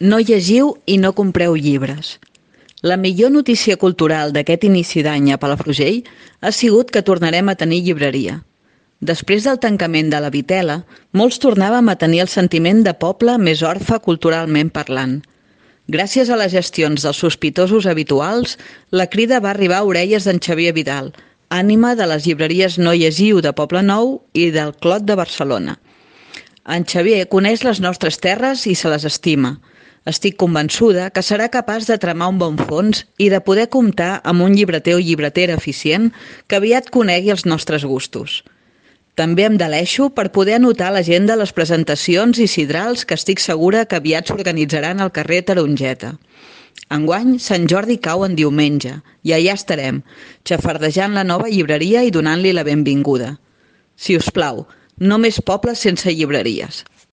No llegiu i no compreu llibres. La millor notícia cultural d'aquest inici d'any a Palafrugell ha sigut que tornarem a tenir llibreria. Després del tancament de la Vitela, molts tornàvem a tenir el sentiment de poble més orfe culturalment parlant. Gràcies a les gestions dels sospitosos habituals, la crida va arribar a orelles d'en Xavier Vidal, ànima de les llibreries No Llegiu de Poble Nou i del Clot de Barcelona. En Xavier coneix les nostres terres i se les estima. Estic convençuda que serà capaç de tramar un bon fons i de poder comptar amb un llibreter o llibretera eficient que aviat conegui els nostres gustos. També em deleixo per poder anotar a l'agenda les presentacions i sidrals que estic segura que aviat s'organitzaran al carrer Tarongeta. Enguany, Sant Jordi cau en diumenge i allà estarem, xafardejant la nova llibreria i donant-li la benvinguda. Si us plau, no més pobles sense llibreries.